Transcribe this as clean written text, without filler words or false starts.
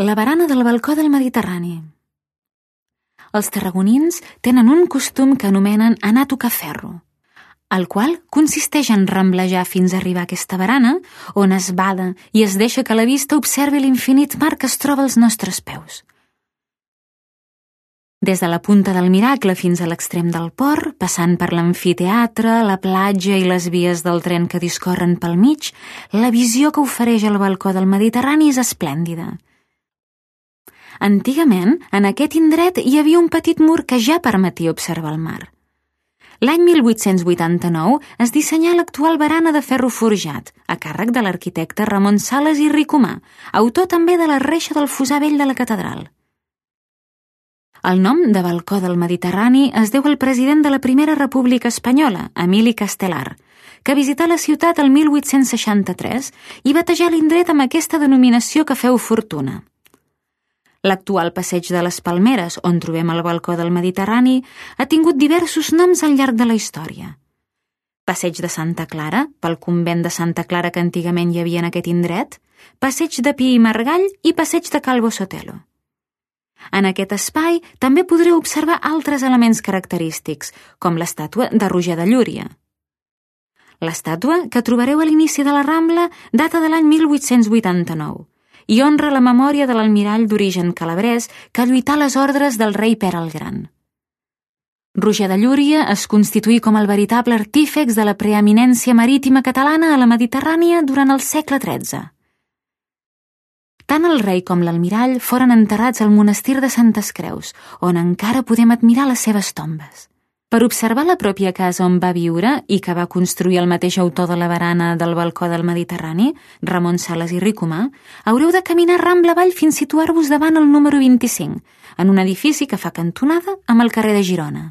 La barana del balcó del Mediterrani. Els tarragonins tenen un costum que anomenen anar a tocar ferro, el qual consisteix en ramblejar fins a arribar a aquesta barana, on es bada i es deixa que la vista observi l'infinit mar que es troba als nostres peus. Des de la punta del Miracle fins a l'extrem del port, passant per l'amfiteatre, la platja i les vies del tren que discorren pel mig, la visió que ofereix el balcó del Mediterrani és esplèndida. Antigament, en aquest indret hi havia un petit mur que ja permetia observar el mar. L'any 1889 es dissenyà l'actual barana de ferro forjat, a càrrec de l'arquitecte Ramon Sales i Ricomà, autor també de la reixa del fossar vell de la catedral. El nom de balcó del Mediterrani es deu al president de la Primera República Espanyola, Emili Castelar, que visità la ciutat el 1863 i batejà l'indret amb aquesta denominació que feu fortuna. L'actual passeig de les Palmeres, on trobem el balcó del Mediterrani, ha tingut diversos noms al llarg de la història. Passeig de Santa Clara, pel convent de Santa Clara que antigament hi havia en aquest indret, passeig de Pi i Margall i passeig de Calvo Sotelo. En aquest espai també podreu observar altres elements característics, com l'estàtua de Roger de Llúria. L'estàtua, que trobareu a l'inici de la Rambla, data de l'any 1889, i honra la memòria de l'almirall d'origen calabrès que lluità a les ordres del rei Pere el Gran. Roger de Llúria es constituí com el veritable artífex de la preeminència marítima catalana a la Mediterrània durant el segle XIII. Tant el rei com l'almirall foren enterrats al monestir de Santes Creus, on encara podem admirar les seves tombes. Per observar la pròpia casa on va viure i que va construir el mateix autor de la barana del balcó del Mediterrani, Ramon Sales i Ricomà, haureu de caminar Rambla avall fins situar-vos davant el número 25, en un edifici que fa cantonada amb el carrer de Girona.